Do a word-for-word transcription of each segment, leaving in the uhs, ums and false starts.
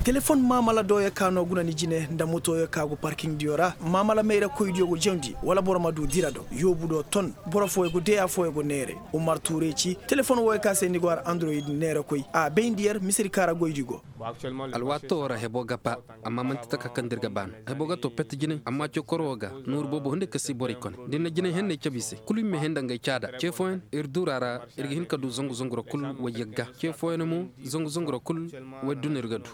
Telefon maamala dooyo ka no guna ni jine nda motoyo ka go parkiŋdiyo ra. Maamala mayrakoydiyo go jawndi wala boro ma du dira do yoobu do ton. Boro fooyo go deya fooyo go neere. Umar tuurey ci telefon wooyo ka se ni go har androyid neerakoy a bayndi yer misedi ka ra goydi go. Alwaatoo ra hebo ga ba. Amma man'ti taka kaŋ da ir ga ba no. Hebo ga to pet jinay amma cokoro wo ga nooru boobo hunday ka si borey kone da ir na jinay henney cabe i se kulu i ma henda ngey caada ce fooyaŋ ir duura ra. Ir ga hin ka du zangu zangu ra kul wayyagga ce fooyaŋ mo zangu zangu ra kul. Wayduna ir ga du.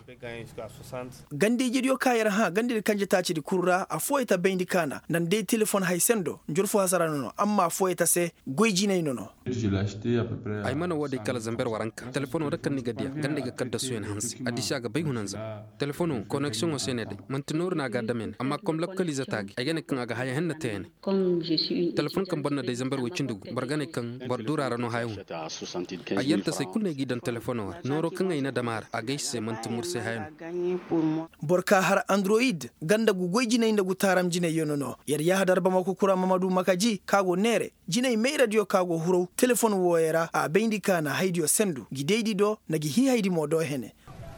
Ganda ijediyo ka yer hã ganda ir kanje taacidi kul ra affooyey ta bayndi kaana nda ni day telefon hay sendo njur fo hasara no no amma affooyey ta se. Goy jinay no no. Ay mana wo day kala zamber waranka telefono ra kaŋ ni ga diya ganda ay ga kaddasu yaŋ hanse. Addiisi a ga bay hunanza telefono koneksiyoŋo se ne day man'ti nooru no a ga a dam yaŋ amma kom lakkoliize taagi ay ga ne kaŋ a ga haya henna te yaŋ. Telefon kaŋ boro na day zamber way cindi gu boro ga ne kaŋ boro duura ra no haya hun. Ay yanta se kulu no ay g'i daŋ telefono ra nooro kaŋ ay na dam a ra a gay se man'ti mursay haya no. Boro ka har androyid ganda gu goy jinay nda gu taaram jinay yaŋ no no. Yer yahadar bamako kura mamadu makaji ka go neere jinay mayradiyo ka go huraw telefon wooyo ra a bayndi ka na haydiyo sendu gi daydi do nda gi hiihaydi mo do hene.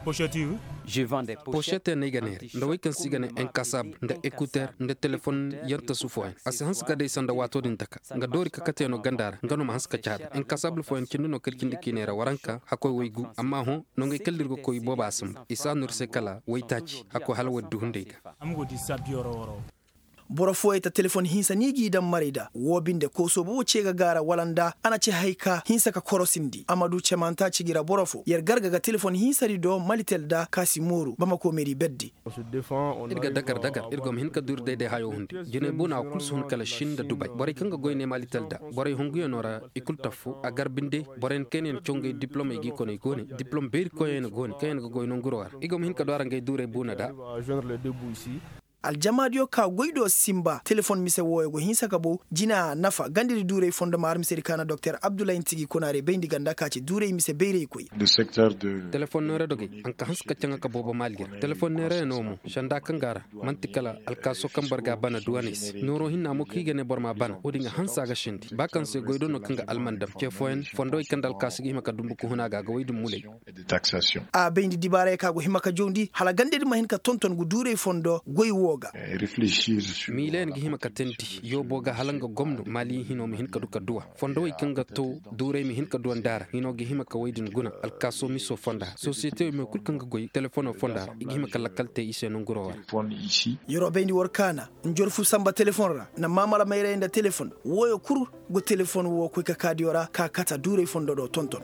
Pošete no ay ga neere nda wey kaŋ se i ga ne enkasab nda ekuter nda telefon yantasu fooyaŋ a si hanse ka day sanda waato din taka. Nga doori ka kate no ganda ra nga no ma hanse ka caada enkasabul fooyaŋ cindi no kala cindi k'i neera waranka hakkoy waygu amma hõ. Nongey kala da ir ga koy booba a sambu i si a no ir se kala waytaaci hakkoy hala waydu hunday ga. Boro fooyey ta telefon hinsa ni g'i daŋ marey da woo binde koosoo boobo ce ga gaara wala nda a na ci hay ka hinsa ka korosindi a ma du cemaŋ taaci gi ra boro fo yer garga ga telefon hinsadi do malitel da ka si mooru bamako meeri berdi. Ir ga dagar dagar ir go ma hin ka du ir dayday hayo hunde jinay buuna wo kul si hun kala sin nda dubay borey kaŋ ga goy ne malitel da borey hunguyaŋo ra. I kul taffo a gar binde boroyaŋ kaŋ yaŋ na caw ngey diplomey g'i koney go ne diplom beeri koyyaŋ yaŋ go ne kaŋ yaŋ ga goy nanguro ra i go ma hin ka du a ra ngey duurey buuna da. Aljamaadiyo ka goy do simba telefon mise wooyo go hinsa ka bow jina nafa gandadi duurey fondo ma har misedi ka na doktor abdullahi ntigi konaarey bayndi ganda ka ci duurey mise bayraykoy. Telefon neera dogey hanka hanse ka caŋa ka boobo maali ra telefon neera yaŋo mo sanda kaŋ ga a ra. Man'ti kala alkaaso kaŋ boro ga a bana duwaney se nooro hinna mo kaŋ i ga ne boro m'a bana wo-din ga hanse a ga sindi ba kaŋ se goy do no kaŋ ga alman dam ce fooyaŋ fondowey kaŋ nda alkaaso ga hima ka dumbu ka hun a ga a ga wey din muley. A bayndi dibaarey kaŋ a go hima ka jawndi hala ganda din ma hin ka tonton ngu duurey fondo goy woo ga. Miilayaŋ ga hima ka teendi yoobo ga hala nga gomno maali hino ma hin ka du ka duwa fondowey kaŋ ga to duurey ma hin ka duwa nda a ra hino ga hima ka wey din guna alkaaso miso fonda ra sosiyetewey mo kul kaŋ ga goy telefono fonda ra i ga hima ka lakkal te i se nanguro ra. Yeroo bayndi war kaana njorfu samba telefon ra na maamala mayrayey nda telefon wooyo kul go telefon woo koy ka kaadiyo ra ka kata duurey fondo do tonton.